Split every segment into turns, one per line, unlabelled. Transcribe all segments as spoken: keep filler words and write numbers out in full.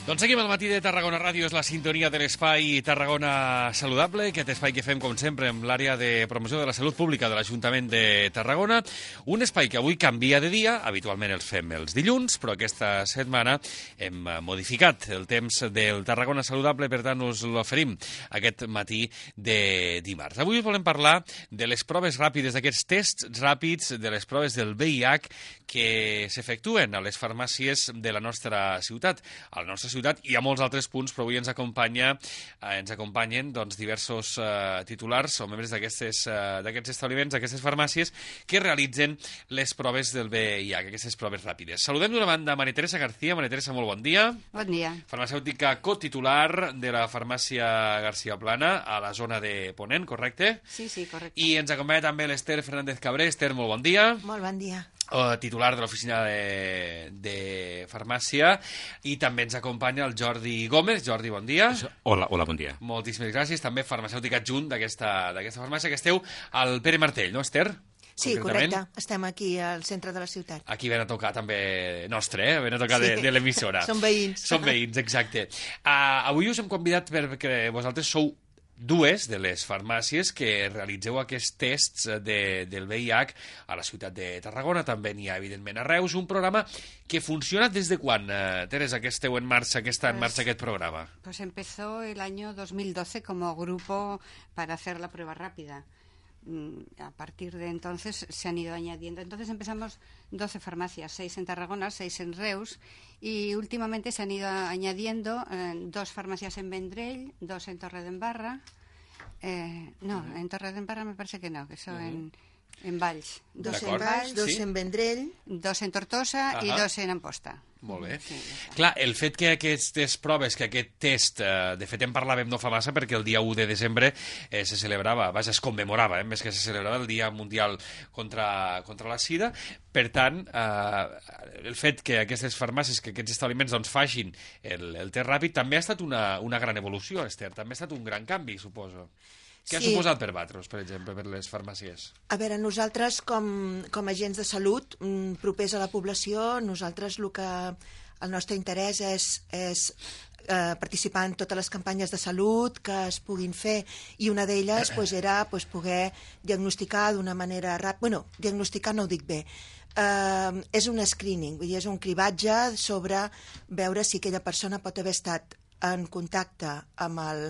Doncs seguim al matí de Tarragona Ràdio, és la sintonia de l'espai Tarragona Saludable, aquest espai que fem, com sempre, amb l'àrea de promoció de la salut pública de l'Ajuntament de Tarragona. Un espai que avui canvia de dia, habitualment els fem els dilluns, però aquesta setmana hem modificat el temps del Tarragona Saludable, per tant us l'oferim aquest matí de dimarts. Avui us volem parlar de les proves ràpides, d'aquests tests ràpids, de les proves del V I H que s'efectuen a les farmàcies de la nostra ciutat. A la nostra ciutat i a molts altres punts, però avui ens acompanya, eh, ens acompanyen doncs, diversos eh, titulars o membres d'aquests eh, establiments, d'aquestes farmàcies, que realitzen les proves del V I H, aquestes proves ràpides. Saludem d'una banda Maria Teresa García. Maria Teresa, molt bon dia.
Bon dia.
Farmacèutica cotitular de la farmàcia García Plana, a la zona de Ponent, correcte?
Sí, sí, correcte.
I ens acompanya també l'Ester Fernández Cabré. Ester, molt bon dia.
Molt bon dia.
Uh, titular de l'oficina de, de farmàcia, i també ens acompanya el Jordi Gómez. Jordi, bon dia.
Hola, hola, bon dia.
Moltíssimes gràcies. També farmacèutic adjunt d'aquesta farmàcia, que esteu al Pere Martell, no, Ester?
Sí, correcte. Estem aquí al centre de la ciutat.
Aquí ven a tocar també nostre, eh? Ven a tocar sí. de, de l'emissora.
Som veïns.
Som veïns, exacte. Uh, avui us hem convidat perquè vosaltres sou dues de les farmàcies que realitzeu aquests tests de, del V I H a la ciutat de Tarragona. També n'hi ha, evidentment, a Reus. Un programa que funciona des de quan, eh, Teresa, que esteu en marxa, que està en marxa aquest programa?
Pues empezó el año dos mil doce como grupo para hacer la prueba rápida. A partir de entonces se han ido añadiendo. Entonces empezamos doce farmacias, seis en Tarragona, seis en Reus, y últimamente se han ido añadiendo eh, dos farmacias en Vendrell, dos en Torredembarra. Eh, no, uh-huh. en Torredembarra me parece que no, que son uh-huh. en, en Valls.
Dos en Valls, dos sí. en Vendrell.
Dos en Tortosa uh-huh. i dos en Amposta.
Molt bé.
Sí,
clar, el fet que aquestes proves, que aquest test, eh, de fet en parlàvem no fa massa perquè el dia u de desembre eh, se celebrava, vaja, es commemorava, eh, més que se celebrava el Dia Mundial contra, contra la Sida. Per tant, eh, el fet que aquestes farmàcies, que aquests establiments doncs, facin el, el test ràpid, també ha estat una, una gran evolució, Ester, també ha estat un gran canvi, suposo. Què ha
sí.
suposat per vosaltres, per exemple, per les farmàcies?
A veure, nosaltres, com, com a agents de salut, propers a la població, nosaltres el que el nostre interès és, és eh, participar en totes les campanyes de salut que es puguin fer, i una d'elles pues, era pues, poder diagnosticar d'una manera ràpida. Bueno, diagnosticar no ho dic bé. Uh, és un screening, vull dir, és un cribatge sobre veure si aquella persona pot haver estat en contacte amb el,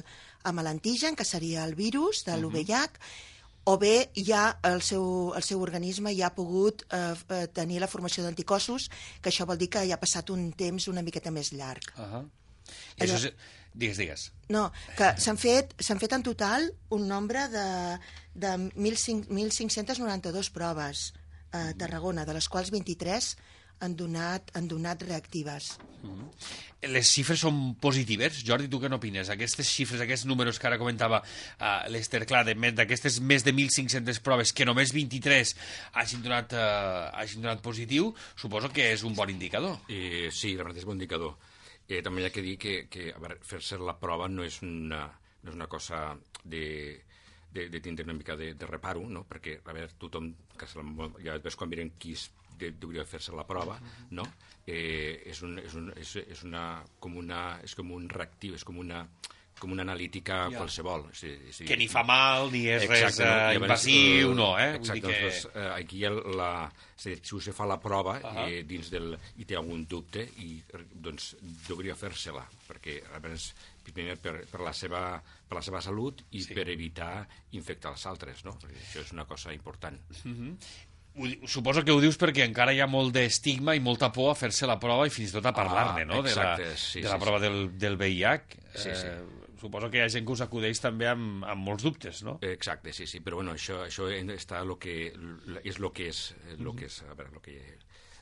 amb l'antigen, que seria el virus de l'U V I H, uh-huh. o bé ja el seu, el seu organisme ja ha pogut eh, tenir la formació d'anticossos, que això vol dir que ja ha passat un temps una miqueta més llarg.
Uh-huh. I això és... Digues, digues.
No, que s'han fet, s'han fet en total un nombre de, de mil cinc-cents noranta-dues proves a Tarragona, de les quals vint-i-tres han donat, han donat reactives.
Mm-hmm. Les xifres són positives? Jordi, tu què n'opines? Aquestes xifres, aquests números que ara comentava uh, l'Ester, clar, d'aquestes més de mil cinc-centes proves, que només vint-i-tres hagin donat, uh, hagin donat positiu, suposo que és un bon indicador.
Eh, sí, la veritat és un bon indicador. Eh, també hi ha que dir que, que fer-se la prova no és una, no és una cosa de... De, de tindre una mica de, de reparo, no? Perquè, a veure, tothom, que se la, ja ves quan miren qui es, de, hauria de fer-se la prova, no? Eh, és, un, és, un, és, és, una, com una, és com un reactiu, és com una, com una analítica ja. qualsevol. Sí, sí.
Que ni fa mal, ni és exacte, res uh, invasiu, no, eh?
Exacte,
Vull dir que...
doncs, uh, aquí el, la, si se fa la prova uh-huh. eh, dins del, i té algun dubte, i doncs hauria de fer-se-la, perquè a més, primer per, per, la seva, per la seva salut i sí. per evitar infectar els altres, no? Perquè això és una cosa important.
Uh-huh. Suposo que ho dius perquè encara hi ha molt d'estigma i molta por a fer-se la prova i fins i tot a parlar-ne, no?
Exacte,
de la,
sí,
de la
sí,
prova
sí.
del, del V I H.
Sí, sí.
Eh, suposo que hi ha gent que us acudeix també amb, amb molts dubtes, no?
Exacte, sí, sí, però bueno, això, això està lo que, és el que és, lo que és, a veure, lo que...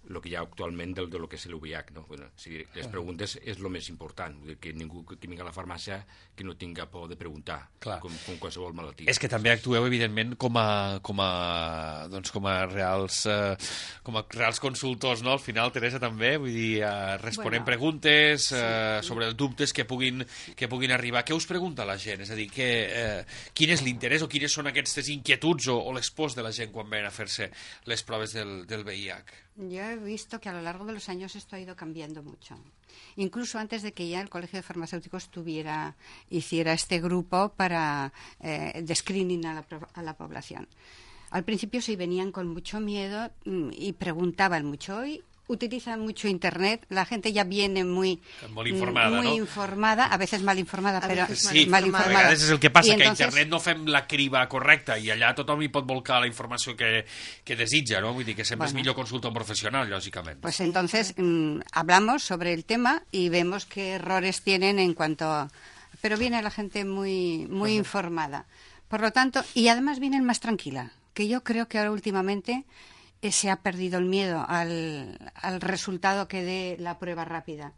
el que hi ha actualment del, del que és l'U V I H, no? Bueno, si les preguntes és el més important, vull dir que ningú que vingui a la farmàcia que no tinga por de preguntar, com, com qualsevol malaltia.
És que també actueu, evidentment, com a, com a, doncs, com a, reals, eh, com a reals consultors, no? Al final, Teresa, també, vull dir, eh, responent bueno, preguntes eh, sí. sobre els dubtes que puguin, que puguin arribar. Què us pregunta la gent? És a dir, que, eh, quin és l'interès o quines són aquestes inquietuds o, o les pors de la gent quan ven a fer-se les proves del, del V I H?
Yo he visto que a lo largo de los años esto ha ido cambiando mucho. Incluso antes de que ya el Colegio de Farmacéuticos tuviera, hiciera este grupo para eh, de screening a la, a la población. Al principio sí venían con mucho miedo y preguntaban mucho. Hoy utilizan mucho Internet, la gente ya viene muy,
muy informada,
muy
no?
informada, a veces mal informada,
A
però
veces
Sí,
mal
a
informada.
vegades és el que passa,
I
que a
entonces,
internet no fem la criba correcta i allà tothom hi pot volcar la informació que, que desitja, no? Vull dir que sempre
Bueno.
és millor consultar un professional, lògicament.
Pues entonces mmm, hablamos sobre el tema y vemos qué errores tienen en cuanto a... Pero viene la gente muy, muy informada. Por lo tanto, y además vienen más tranquila, que yo creo que ahora últimamente eh, se ha perdido el miedo al, al resultado que dé la prueba rápida.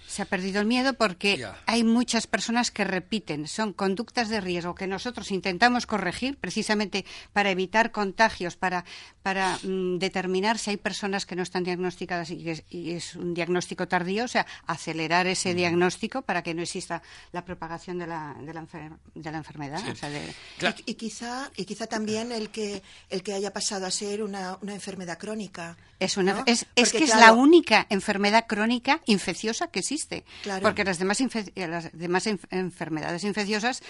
Se ha perdido el miedo porque
Ya.
hay muchas personas que repiten, son conductas de riesgo que nosotros intentamos corregir precisamente para evitar contagios, para, para mm, determinar si hay personas que no están diagnosticadas y, que, y es un diagnóstico tardío, o sea, acelerar ese
Mm.
diagnóstico para que no exista la propagación de la, de la, enfer de la enfermedad.
Sí.
O sea, de,
Claro.
Y, y quizá, y quizá también el que, el que haya pasado a ser una, una enfermedad crónica.
Es, una,
¿no?
es, es
Porque,
que es
claro,
la única enfermedad crónica infecciosa que existe.
Claro.
Porque las demás, infe las demás enf enfermedades infecciosas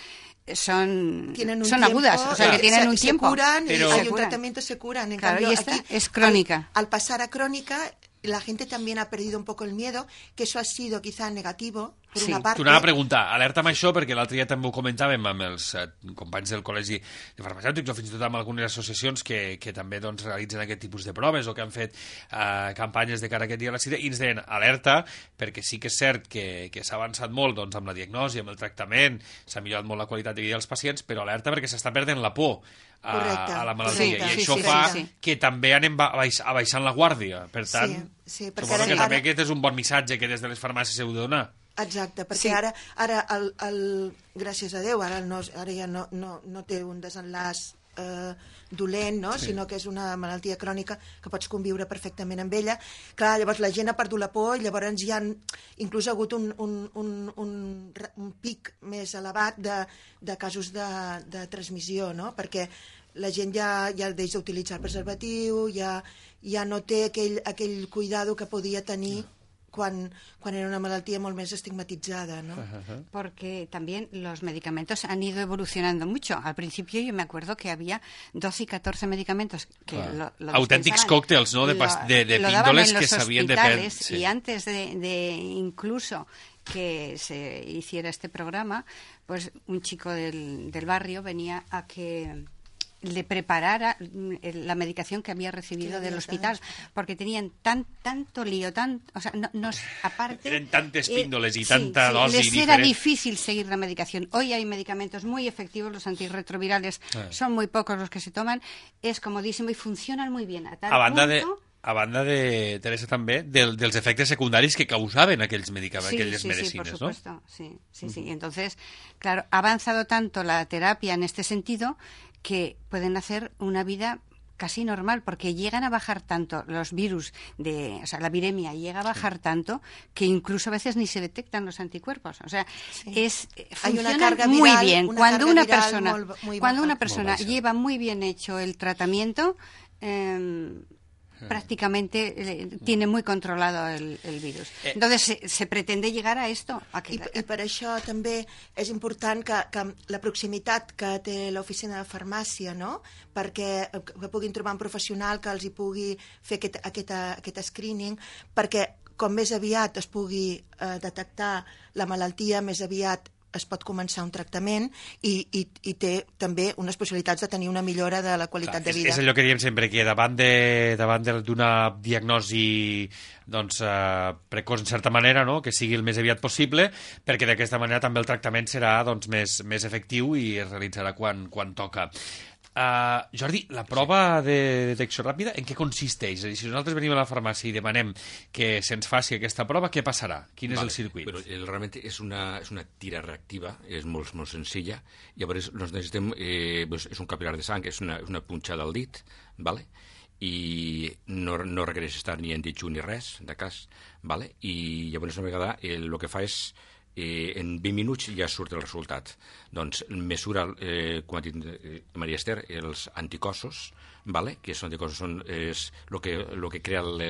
son,
tienen un
son
tiempo,
agudas, o sea,
eh,
que tienen
se,
un tiempo.
Se curan
Pero-
y
Se
hay un
curan.
tratamiento, se curan. En
Claro,
cambio,
y esta
aquí,
es crónica.
Al, al pasar a crónica, la gente también ha perdido un poco el miedo, que eso ha sido quizá negativo, por
Sí.
una parte.
T'ho anava a preguntar, alerta amb això, perquè l'altre dia també ho comentàvem amb els eh, companys del Col·legi de Farmacèutics o fins i tot amb algunes associacions que, que també doncs, realitzen aquest tipus de proves o que han fet eh, campanyes de cara a aquest dia a la sida, i ens deien alerta, perquè sí que és cert que, que s'ha avançat molt doncs, amb la diagnosi, amb el tractament, s'ha millorat molt la qualitat de vida dels pacients, però alerta perquè s'està perdent la por a,
Correcte.
a la malaltia,
Correcte.
i
Sí,
això
sí,
fa
sí,
sí.
que també anem ba- baix, abaixant la guàrdia. Per tant,
Sí, sí, perquè
suposo
ara-
que també
ara-
aquest és un bon missatge que des de les farmàcies heu de donar.
Exacte, perquè
Sí.
ara, ara el, el, gràcies a Déu, ara, no, ara ja no, no, no té un desenllaç eh, dolent, no?
Sí.
Sinó que és una malaltia crònica que pots conviure perfectament amb ella. Clar, llavors la gent ha perdut la por i llavors hi ha inclús ha hagut un, un, un, un, un pic més elevat de, de casos de, de transmissió, no? Perquè la gent ja, ja deixa d'utilitzar el preservatiu, ja, ja no té aquell, aquell cuidado que podia tenir quan, quan era una malaltia molt més estigmatitzada, ¿no?
Porque también los medicamentos han ido evolucionando mucho. Al principio yo me acuerdo que había doce y catorce medicamentos que
Claro.
lo, lo
Auténtics
dispensaban,
cócteles, ¿no? De
lo-
pas- de- de
lo daban
píndoles
en
que
los
sabían de pen-
hospitales,
sí.
y antes de, de incluso que se hiciera este programa, pues un chico del, del barrio venía a que le preparara mm, la medicación que había recibido
Que le
del
había
hospital,
dado.
porque tenían tan tanto lío, tan, o sea, no, no- aparte
Eren tantes píndoles y
sí,
tanta
sí,
dosi
les era
diferent.
difícil seguir la medicación. Hoy hay medicamentos muy efectivos, los antirretrovirales
Ah.
son muy pocos los que se toman, es comodísimo y funcionan muy bien. A tal
A banda de,
punto-
a banda de, Teresa, també, del, dels efectes secundaris que causaven aquells medicaments,
Sí,
aquelles
sí, sí, por
medicines, no?
supuesto. Sí, sí, sí. Entonces, claro, ha avanzado tanto la terapia en este sentido que pueden hacer una vida casi normal, porque llegan a bajar tanto los virus, de, o sea, la viremia llega a bajar tanto que incluso a veces ni se detectan los anticuerpos. O sea,
Sí.
es
Hay una
funcionan
carga
muy
viral-
bien.
una
Cuando
carga
una
viral
persona,
molt- muy
cuando
baja.
una
Molt
persona
baixa.
lleva muy bien hecho el tratamiento, eh, prácticamente eh, tiene muy controlado el, el virus.
Eh.
Entonces se, se pretende llegar a esto, a que
I, I per això també és important que, que la proximitat que té l'oficina de farmàcia, no? Perquè que puguin trobar un professional que els hi pugui fer aquest, aquest, aquest screening, perquè com més aviat es pugui eh, detectar la malaltia, més aviat es pot començar un tractament i, i, i té també unes possibilitats de tenir una millora de la qualitat
Clar,
de
és,
vida.
és allò que diem sempre, que davant de- davant de- d'una diagnosi doncs, eh, precoç, en certa manera, no? Que sigui el més aviat possible, perquè d'aquesta manera també el tractament serà doncs, més, més efectiu i es realitzarà quan, quan toca. Uh, Jordi, la prova de detecció ràpida en què consisteix? És a dir, si nosaltres venim a la farmàcia i demanem que se'ns faci aquesta prova, què passarà? Quin és
Vale,
el circuit?
Però el, realment és una, és una tira reactiva, és molt, molt senzilla. Llavors nos necessitem, eh, pues, és un capilar de sang, és una, una punxada al dit, vale? I no, no requereix estar ni en dijú ni res, de cas, vale? I llavors una vegada el, el que fa és eh, en vint minuts ja surt el resultat. Doncs mesura, eh, com ha dit eh, Maria Esther, els anticossos, vale? Que són anticossos són és el que, lo que crea le,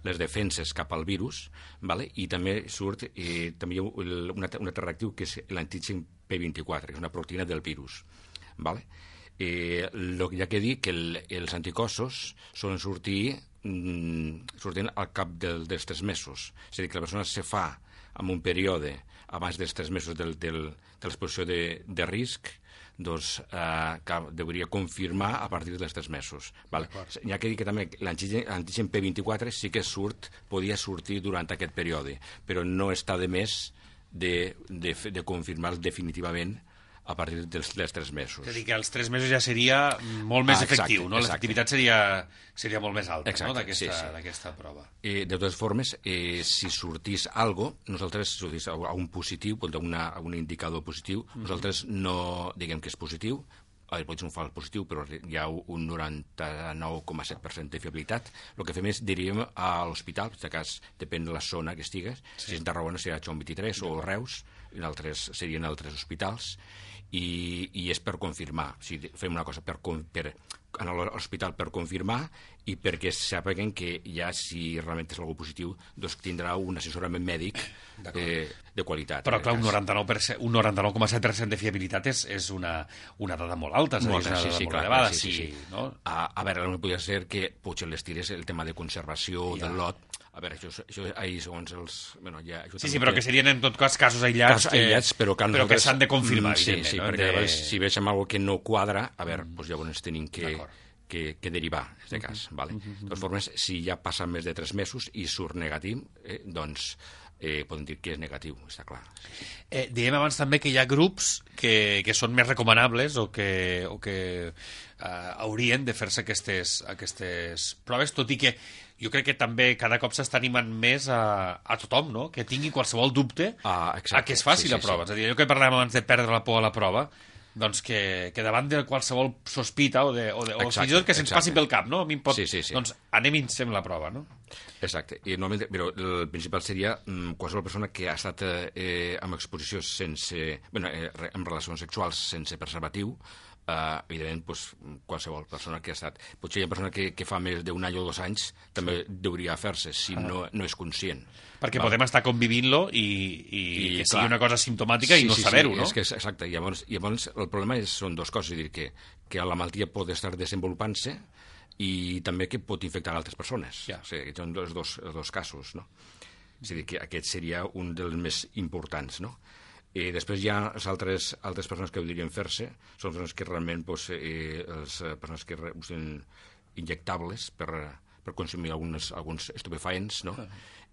les defenses cap al virus, vale? I també surt eh, també hi ha un, un altre reactiu que és l'antigen P vint-i-quatre, que és una proteïna del virus. Vale? Eh, lo que hi ha que dir que el, els anticossos solen sortir mm, sortint al cap del, dels tres mesos. És a dir, que la persona se fa en un període abans dels tres mesos del, del, de l'exposició de, de risc, doncs eh, que hauria confirmar a partir dels tres mesos. Vale? Hi ha que dir que també l'antigen P vint-i-quatre sí que surt, podia sortir durant aquest període, però no està de més de, de, de confirmar definitivament a partir dels, dels tres mesos.
És a dir, que als tres mesos ja seria molt més
ah, exacte,
efectiu, no? L'efectivitat seria, seria molt més alta,
exacte,
no?, d'aquesta
sí, sí.
prova.
Eh, de totes formes, eh, si sortís algo, nosaltres, si sortís a un positiu, a, una, a un indicador positiu, mm-hmm. nosaltres no diguem que és positiu, eh, pot ser un fals positiu, però hi ha un noranta-nou coma set per cent de fiabilitat. El que fem és diríem a l'hospital, en aquest cas depèn de la zona que estigues, sí. Si és en Tarragona serà Joan vint-i-tres o Reus, en altres, serien altres hospitals, i, i és per confirmar. O sigui, fem una cosa per, per, a l'hospital per confirmar i perquè sàpiguen que ja si realment és algú positiu doncs tindrà un assessorament mèdic eh, de qualitat.
Però clar, un noranta-nou per cent, un noranta-nou coma set per cent de fiabilitat és, és una, una dada molt alta, és a dir, és una dada
sí, sí,
molt
clar,
elevada.
Sí, sí, sí.
Sí, no?
a, a veure, no podria ser que potser les tires el tema de conservació ja. Del lot. A veure, això, això ahir segons els... Bueno, ja,
sí, sí, però que serien en tot cas casos aïllats,
casos aïllats que, però que,
però que s'han de confirmar,
mm, sí, sí,
no?
perquè
de...
si veig alguna que no quadra, a veure, mm. doncs llavors tenim que, que, que derivar, en aquest cas. Mm-hmm. Vale? Mm-hmm. De totes formes, si ja passa més de tres mesos i surt negatiu, eh, doncs eh, podem dir que és negatiu, està clar.
Eh, dèiem abans també que hi ha grups que, que són més recomanables o que, o que eh, haurien de fer-se aquestes, aquestes proves, tot i que jo crec que també cada cop s'està animant més a, a tothom, no?, que tingui qualsevol dubte
ah,
a que es faci sí, la sí, prova. Sí. És a dir, allò que parlàvem abans de perdre la por a la prova, doncs que, que davant de qualsevol sospita o, de, o, de, o exacte, fins i tot que se'ns passi pel cap, no? A mi em pot...
Sí, sí, sí.
Doncs anem i ens fem la prova, no?
Exacte. I normalment, però el principal seria mm, qualsevol persona que ha estat eh, amb exposició sense... Bueno, eh, amb relacions sexuals sense preservatiu, Uh, evidentment, pues, qualsevol persona que ha estat... Potser hi ha persona que, que fa més d'un any o dos anys també sí. Hauria fer-se, si ah. no, no és conscient.
Perquè val. Podem estar convivint-lo i, i, I que clar, sigui una cosa simptomàtica sí, i no sí, saber-ho,
sí,
no?
És que, exacte. I llavors, i llavors el problema és, són dues coses. És a dir, que, que la malaltia pot estar desenvolupant-se i també que pot infectar altres persones. Ja. O sigui, són els dos, els dos casos, no? És a dir, que aquest seria un dels més importants, no? I després hi ha les altres, altres persones que podrien fer-se, són persones que realment, doncs, eh, les persones que usen injectables per, per consumir algunes, alguns estupefaents, no?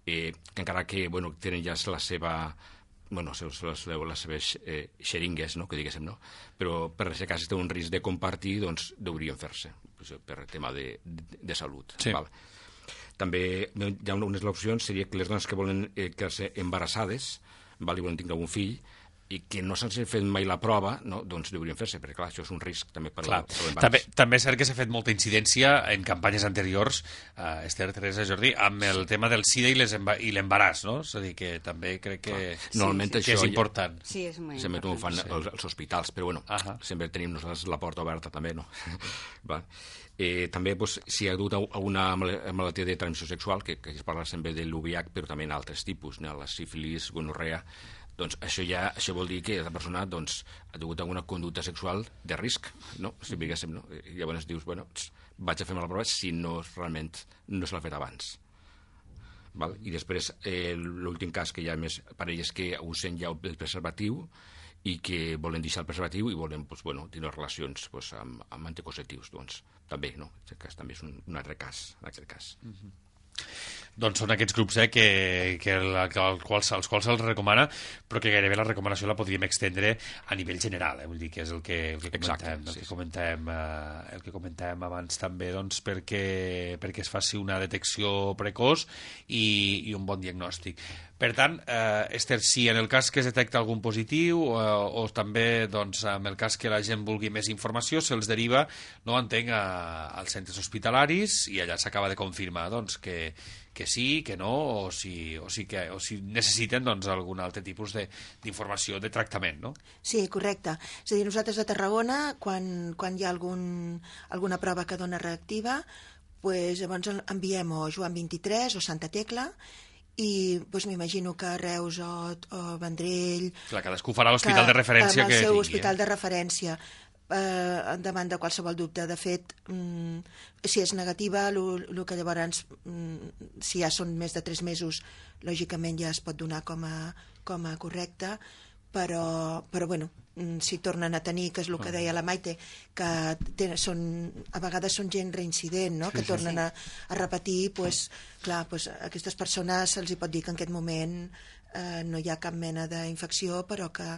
Eh, que encara que, bueno, tenen ja la seva, bueno, les, les, les seves eh, xeringues, no?, que diguéssim, no? Però per si cas té un risc de compartir, doncs deurien fer-se, per tema de, de, de salut.
Sí.
Val. També hi ha unes opcions, seria que les dones que volen eh, quedar-se embarassades, val, i volen tenir un fill, i que no s'han fet mai la prova, no? Doncs deurien fer-se, perquè clar, això és un risc també per l'embaràs.
També, també és cert que s'ha fet molta incidència en campanyes anteriors, uh, Esther, Teresa, Jordi, amb el tema del SIDA i l'embaràs, no? És a dir, que també crec que, sí,
normalment
sí,
això
que és important.
Sí, és molt
sempre
important.
Ho fan
sí.
els, els hospitals, però bueno, uh -huh. sempre tenim nosaltres la porta oberta també, no? Va. Eh, també, doncs, si hi ha hagut alguna malaltia de transmissió sexual, que, que es parla sempre de l'U V I H, però també en altres tipus, no? La sífilis, gonorrea, doncs això ja això vol dir que la persona doncs, ha tingut alguna conducta sexual de risc, no? Si diguéssim, no? I llavors dius, bueno, vaig a fer-me la prova si no realment no se l'ha fet abans. Val? I després, eh, l'últim cas que hi ha més parelles que usen ja el preservatiu i que volen deixar el preservatiu i volen doncs, bueno, tenir relacions doncs, amb, amb anticonceptius, doncs també, no? Aquest cas també és un, un altre cas, en aquest cas.
Mm-hmm. Doncs són aquests grups eh, que, que el, que el quals, als quals se'ls recomana, però que gairebé la recomanació la podríem extendre a nivell general, eh? Vull dir que és el que, el que comentem, Exacte, sí, el que comentem, eh, el que comentem abans també, doncs, perquè, perquè es faci una detecció precoç i, i un bon diagnòstic. Per tant, eh, Esther, si en el cas que es detecta algun positiu o, o també doncs, en el cas que la gent vulgui més informació, se'ls deriva, no entenc, a, als centres hospitalaris i allà s'acaba de confirmar doncs, que, que sí, que no, o si, o si, que, o si necessiten doncs, algun altre tipus d'informació de, de tractament, no?
Sí, correcte. És a dir, nosaltres a Tarragona, quan, quan hi ha algun, alguna prova que dona reactiva, pues, llavors enviem o Joan vint-i-tres o Santa Tecla, i doncs, m'imagino que Reus o, o Vendrell...
Clar, cadascú farà l'hospital de referència que tingui.
El seu
tingui,
hospital
eh?
de referència, eh, davant de qualsevol dubte. De fet, mm, si és negativa, el que llavors, mm, si ja són més de tres mesos, lògicament ja es pot donar com a, com a correcte, però, però bueno, si tornen a tenir, que és el que deia la Maite, que tenen, són, a vegades són gent reincident, no?
Sí,
que
sí,
tornen
sí.
a, a repetir, pues, clar, pues, a aquestes persones se'ls hi pot dir que en aquest moment eh, no hi ha cap mena d'infecció, però que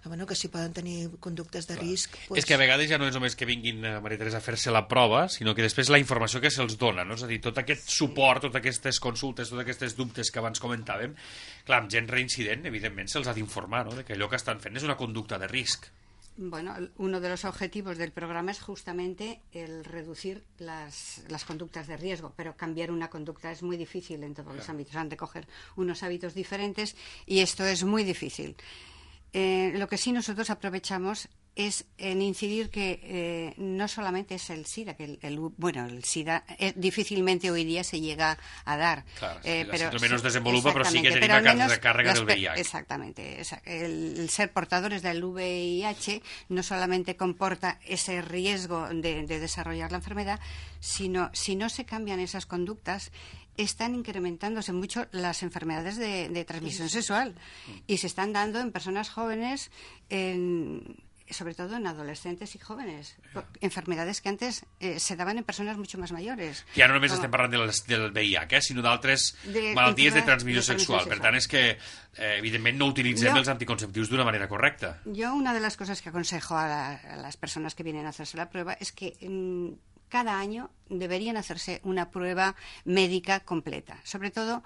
bueno, que si poden tenir conductes de risc...
Pues... És que a vegades ja no és només que vinguin, Maria Teresa, a fer-se la prova, sinó que després la informació que se'ls dona, no? És a dir, tot aquest suport, totes aquestes consultes, totes aquestes dubtes que abans comentàvem, clar, amb gent reincident, evidentment, se'ls ha d'informar, no?, de que allò que estan fent és una conducta de risc.
Bueno, uno de los objetivos del programa es justamente el reducir las, las conductas de riesgo, pero cambiar una conducta es muy difícil en todos los ámbitos. Han de coger unos hábitos diferentes y esto es muy difícil. Eh, lo que sí nosotros aprovechamos es en incidir que eh, no solamente es el SIDA, que el, el bueno, el SIDA eh, difícilmente hoy día se llega a dar.
Claro,
eh,
sí,
pero,
menos
sí,
desenvolupa, pero sí que tiene
pero
una car carga del V I H.
Exactamente. El, el ser portadores del V I H no solamente comporta ese riesgo de, de desarrollar la enfermedad, sino si no se cambian esas conductas, están incrementándose mucho las enfermedades de, de transmisión sexual y se están dando en personas jóvenes, en, sobre todo en adolescentes y jóvenes, enfermedades que antes eh, se daban en persones mucho más mayores.
Que ja no només
Com...
estem parlant del, del V I H, eh, sinó d'altres
de,
malalties de transmissió
de
sexual. Per tant, és que, eh, evidentment, no utilitzem
yo,
els anticonceptius d'una manera correcta.
Yo una de las cosas que aconsejo a, la, a las personas que vienen a hacerse la prueba es que mmm, cada año deberían hacerse una prueba médica completa, sobre todo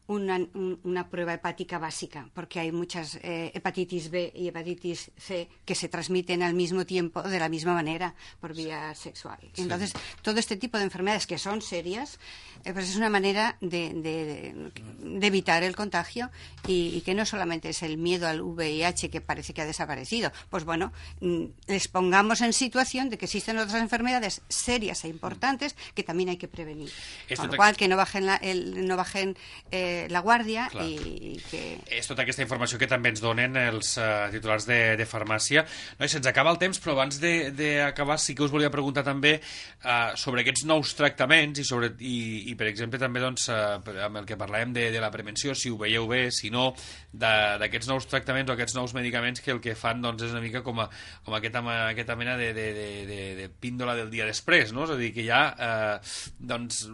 una, un, una prueba hepática básica, porque hay muchas eh, hepatitis B y hepatitis C que se transmiten al mismo tiempo de la misma manera por vía sexual. Sí. Entonces, todo este tipo de enfermedades que son serias, eh, pues es una manera de, de, de evitar el contagio y, y que no solamente es el miedo al V I H que parece que ha desaparecido, pues bueno, les pongamos en situación de que existen otras enfermedades serias e importantes que también hay que prevenir. Esto Con lo cual, que no bajen la, el, no bajen eh, la guàrdia i, i que...
És tota aquesta informació que també ens donen els uh, titulars de, de farmàcia. No, se'ns acaba el temps, però abans d'acabar sí que us volia preguntar també uh, sobre aquests nous tractaments i, sobre, i, i per exemple, també doncs, uh, amb el que parlàvem de, de la prevenció, si ho veieu bé, si no, d'aquests nous tractaments o aquests nous medicaments que el que fan doncs, és una mica com, a, com aquesta, aquesta mena de, de, de, de, de píndola del dia després, no? És a dir, que ja uh, doncs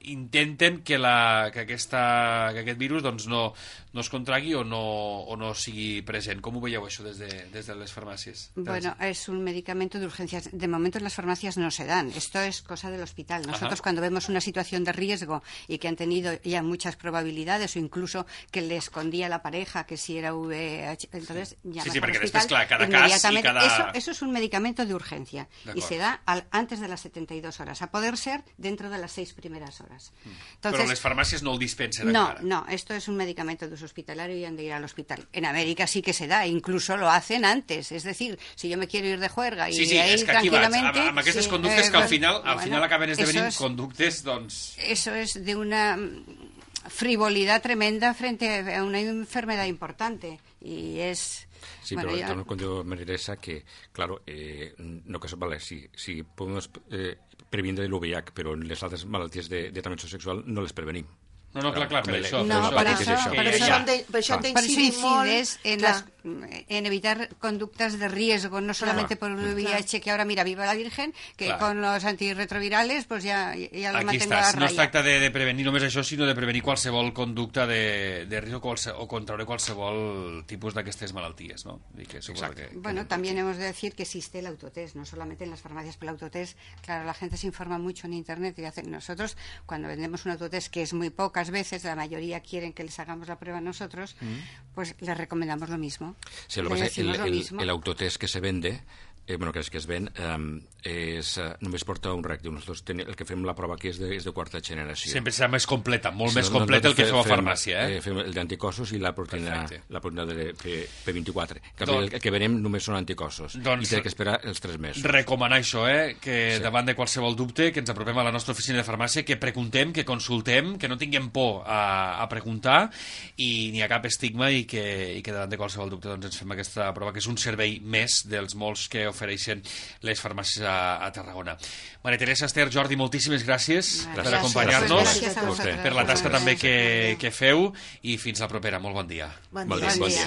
intenten que, la, que, aquesta, que aquest virus doncs, no, no es contragui o no, o no sigui present. ¿Cómo veieu això des de, des de les farmàcies?
Bueno, es un medicamento de urgencias. De momento en las farmacias no se dan. Esto es cosa del hospital. Nosotros Ajá. cuando vemos una situación de riesgo y que han tenido ya muchas probabilidades o incluso que le escondía a la pareja que si era V I H, entonces llamas
sí, sí,
al
perquè
hospital
després, clar, cada cas i cada...
Eso, eso es un medicamento de urgencia y se da al, antes de las setenta y dos horas, a poder ser dentro de las seis primeras horas.
Entonces, però les farmàcies no el dispensen
no,
encara.
No, esto es un medicamento de uso hospitalario y han de ir al hospital. En América sí que se da, incluso lo hacen antes. Es decir, si yo me quiero ir de juerga y
sí, sí,
ir
és que aquí
tranquilamente...
Vaig, amb aquestes
sí,
conductes
eh,
que al final, al
bueno,
final acaben esdevenint
es,
conductes, doncs...
Eso es de una frivolidad tremenda frente a una enfermedad importante y es...
Sí, bueno, pero yo... con yo me interesa que, claro, eh, no que vale, si, si podemos eh, prevenir el V I H, però les altres malalties de, de transmissió sexual no les prevenim.
No, no, clar, clar, per això.
No, per això, per això,
per això hem d'incidir molt...
En les, en evitar conductas de riesgo, no solamente por el V I H, que ahora, mira, viva la Virgen, que
Clar.
con los antirretrovirales pues ya, ya lo
Aquí
mantengo a
estàs.
raya.
No es tracta de, de prevenir només això, sinó de prevenir qualsevol conducta de, de risc o, qualse, o contraure qualsevol tipus d'aquestes malalties, ¿no? Y que supongo que, que
Bueno, también hemos de decir que existe el autotest, no solamente en las farmacias, pero el autotest, claro, la gente se informa mucho en internet y hace, nosotros cuando vendemos un autotest, que es muy pocas veces, la mayoría quieren que les hagamos la prueba nosotros, mm. pues les recomendamos lo mismo.
Sí, lo
Le
que pasa, el,
decimos lo
el,
mismo.
el autotest que se vende, eh, bueno, que es que es ven, eh, és, eh, només porta un reactiu. Nosaltres ten, el que fem la prova aquí és de, és de quarta generació.
sempre serà més completa, molt
Sí,
més
no-
completa el que
nosaltres
feu a
fem-
farmàcia, eh?
eh? Fem el d'anticossos i la proteïna,
Perfecte.
la proteïna de P vint-i-quatre. Que
Doncs-
el, el que venem només són anticossos.
Doncs-
I té que esperar els tres mesos.
Recomanar això, eh? Que
Sí.
davant de qualsevol dubte, que ens apropem a la nostra oficina de farmàcia, que preguntem, que consultem, que no tinguem por a, a preguntar i n'hi ha cap estigma i que, i que davant de qualsevol dubte doncs, ens fem aquesta prova, que és un servei més dels molts que ofereixen les farmàcies a, a Tarragona. Maria Teresa, Esther, Jordi, moltíssimes gràcies
Gràcies.
per acompanyar-nos,
Gràcies a
vostè.
vosaltres.
per la tasca
Gràcies.
també que, que feu i fins la propera. Molt bon dia.
Bon
Bon
dia.
dia.
Bon dia.